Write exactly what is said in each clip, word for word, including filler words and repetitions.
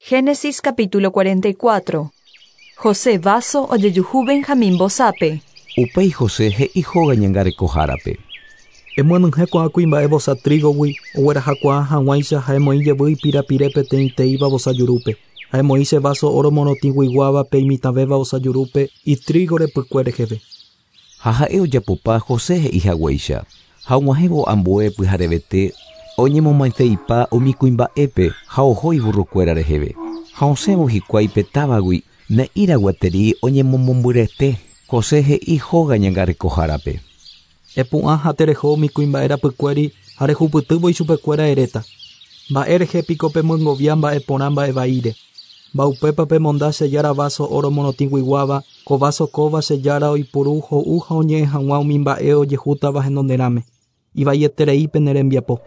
Génesis capítulo cuarenta y cuatro. José vaso ojejuhu Benjamín vosápe. Upéi José he'i hóga ñangarekohárape. Emyenyhẽ ko'ã kuimba'e vosa trígogui oguerahakuaa hag̃uáicha ha emoĩ jevy ipirapire peteĩteĩva vosa jurúpe. Ha emoĩ che vaso oro morotĩguiguáva pe imitãvéva vosa jurúpe itrígo repykue reheve. Ha ha'e ojapopa José he'ihaguéicha. Ha og̃uahẽvo ambue pyharevete oñemomaiteipa umi kuimba'épe ha oho iburrokuéra reheve. Ha osẽvo hikuái pe távagui ne'ĩra gueteri oñemomombyrete. José he'i hóga ñangarekohárape. Epu'ã ha tereho umi kuimba'e rapykuéri ha rehupytývo ichupekuéra eréta. Mba'e rehe piko pemyengovia mba'e porã mba'e vaíre. Mba'upépa pemonda che jára vaso oro morotĩguiguáva, ko vaso kóva che jára oipuru ho'u ha oñe'ẽ hag̃ua umi mba'e ojehútava henonderãme. Ivaieterei pene rembiapo.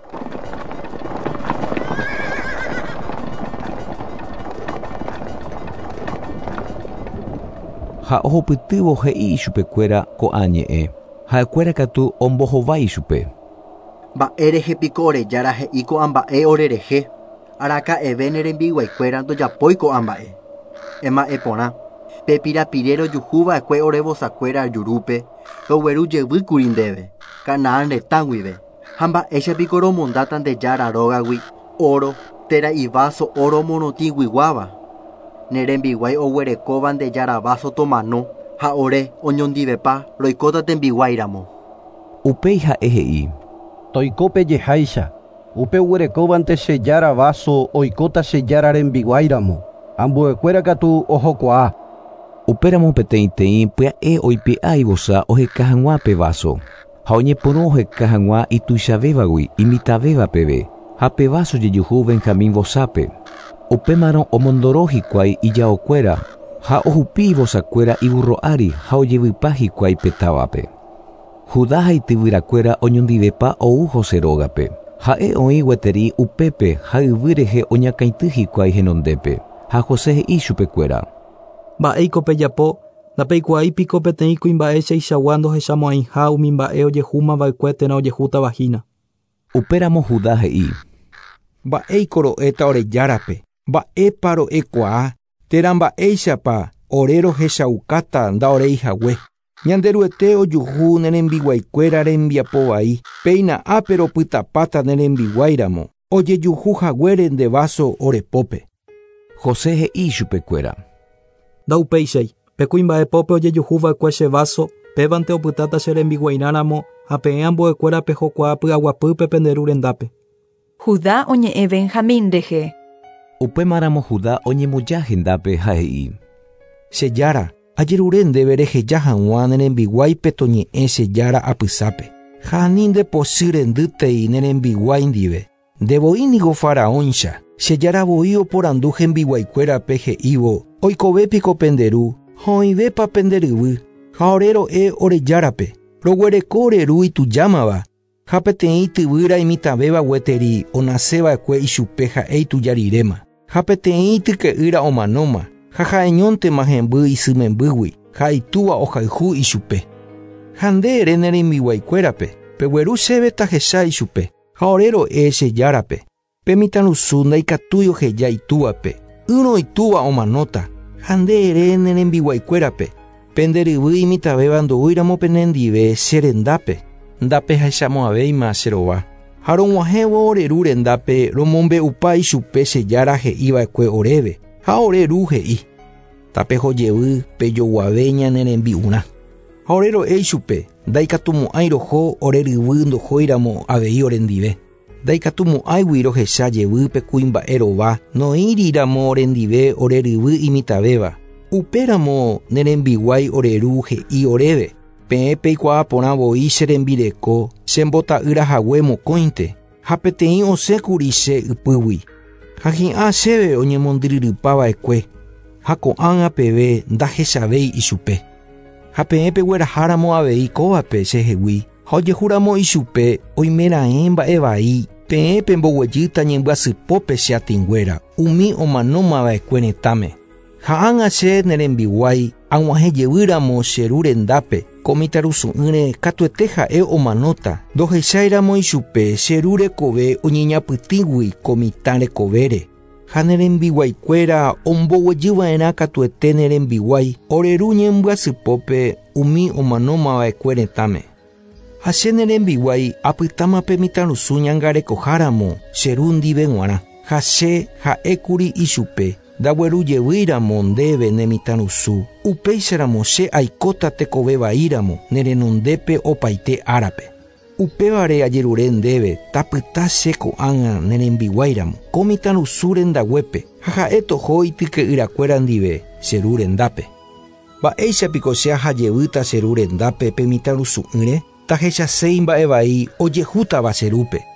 Ha ohupytývo he'i ichupekuéra ko'ã ñe'ẽ. Ha'ekuéra katu ombohovái ichupe. Mba'e rehe piko ore jára he'i ko'ã mba'e ore rehe. Araka'eve ne rembiguaikuéra ndojapói ko'ã mba'e. Ema'ẽ porã. Pe pirapire rojuhuva'ekue ore vosakuéra jurúpe rogueru jevýkuri ndéve, Canaán retã guive. Ha mba'éicha piko romondáta nde jára rógagui oro térã ivaso oro morotĩguiguáva. Ne rembiguái oguerekóva nde jára vaso tomano ha ore oñondivepa roikóta tembiguáiramo. Upéi ha'e he'i. Toikópe jeháicha. Upe oguerekóvante che jára vaso oikóta che jára rembiguáiramo. Ambuekuéra katu ohokuaa. Upéramo peteĩteĩ pya'e oipe'a ivosa oheka hag̃ua pe vaso. Ha oñepyrũ oheka hag̃ua ituichavévagui imitãvéva peve. Ha pe vaso jejuhu Benjamín vosápe. Upémarõ omondoro hikuái ijaokuéra ha ohupi ivosakuéra iburro ári ha ojevypa hikuái pe távape. Judá ha ityvyrakuéra oñondivepa ou José rógape. Ha'e oĩ gueteri upépe ha yvy rehe oñakãity hikuái henondépe. Ha José he'i chupekuéra. Mba'éiko pejapo, ndapeikuaái piko peteĩ kuimba'e cheichagua ndohechamo'ãiha umi mba'e ojehúmava'ekue térã ojehútava hína. Upéramo Judá he'i. Mba'éiko ro'éta ore járape, mba'épa ro'ekuaa, térã mba'éichapa ore rohechaukáta ndaoreihague. Ñanderuete ojuhu ne rembiguaikuéra rembiapo vai, péina ápe ropytapáta ne rembiguáiramo, ojejuhu haguére nde vaso orepópe. José he'i chupekuéra. Ndaupéichai, pe kuimba'epópe ojejuhuva'ekue che vaso, pévante opytáta che rembiguairãramo ha peẽ ambuekuéra pehokuaa py'aguapýpe pende ru rendápe. Judá oñe'ẽ Benjamín rehe. Upémaramo Judá oñemboja hendápe ha he'i. Che jára, ajerure ndéve reheja hag̃ua ne rembiguáipe toñe'ẽ che jára apysápe. Ha ani nde pochy rendýtei ne rembiguái ndive. Ndevoi niko faraóncha. Che jára voi oporandu hembiguaikuérape he'ívo, oikovépiko pende ru, ha oĩvépa pende ryvy, ha ore ro'e ore járape. Roguereko ore ru itujámava. Ha peteĩ tyvýra imitãvéva gueteri onaseva'ekue ichupe ha'e itujariréma. Ha peteĩ tyke'ýra omanóma. Ha ha'eñóntema hemby isymembýgui, ha itúva ohayhu ichupe. Ha nde ere ne rembiguaikuérape, pegueru chéve tahecha ichupe, ha ore ro'e che járape. Pe mitãrusu ndaikatúi oheja itúvape, ỹrõ itúva omanóta. Ha nde ere ne rembiguaikuérape, pende ryvy imitãvéva ndoúiramo penendive che rendápe, ndapehechamo'ãvéima che rova. Ha rog̃uahẽvo ore ru rendápe romombe'upa ichupe che jára he'iva'ekue oréve. Ha ore ru he'i. Tapehojevy pejoguave ñane rembi'urã. Ha ore ro'e ichupe, ndaikatumo'ãi roho ore ryvy ndohóiramo avei orendive. Ndaikatumo'ãigui rohecha jevy pe kuimba'e rova noĩriramo orendive ore ryvy imitãvéva. Upéramo ne rembiguái ore ru he'i oréve. Peẽ peikuaa porã voi che rembireko che mbota'ýrahague mokõinte ha peteĩ osẽkuri che ypýgui. Ha hi'ã chéve oñemondyryrypava'ekue ha ko'ág̃a peve ndahechavéi ichupe. Ha peẽ pegueraháramo avei kóvape chehegui ha ojehúramo ichupe oimeraẽ mba'e vai peẽ pemboguejýta ñembyasypópe che atĩnguéra umi omanómava'ekue retãme. Ha ág̃a che ne rembiguái ag̃uahẽ jevýramo che ru rendápe ko mitãrusu'ỹre katuete ha'e omanóta ndohecháiramo ichupe che ru rekove oñeñapytĩgui ko mitã rekovére. Ha ne rembiguaikuéra omboguejyva'erã katuete ne rembiguái ore ru ñembyasypópe umi omanómava'ekue retãme. Ha che ne rembiguái apytáma pe mitãrusu ñangarekoháramo che ru ndive g̃uarã. Ha che ha'ékuri ichupe ndaguerujevýiramo ndéve ne mitãrusu upéicharamo che aikóta tekovevaíramo ne renondépe opaite árape. Upévare ajerure ndéve tapyta che ko'ág̃a ne rembiguáiramo ko mitãrusu rendaguépe ha ha'e toho ityke'yrakuéra ndive che ru rendápe. Mba'éichapiko che ahajevýta che ru rendápe pe mitãrusu'ỹre tahechaséi mba'evai ojehútava che rúpe.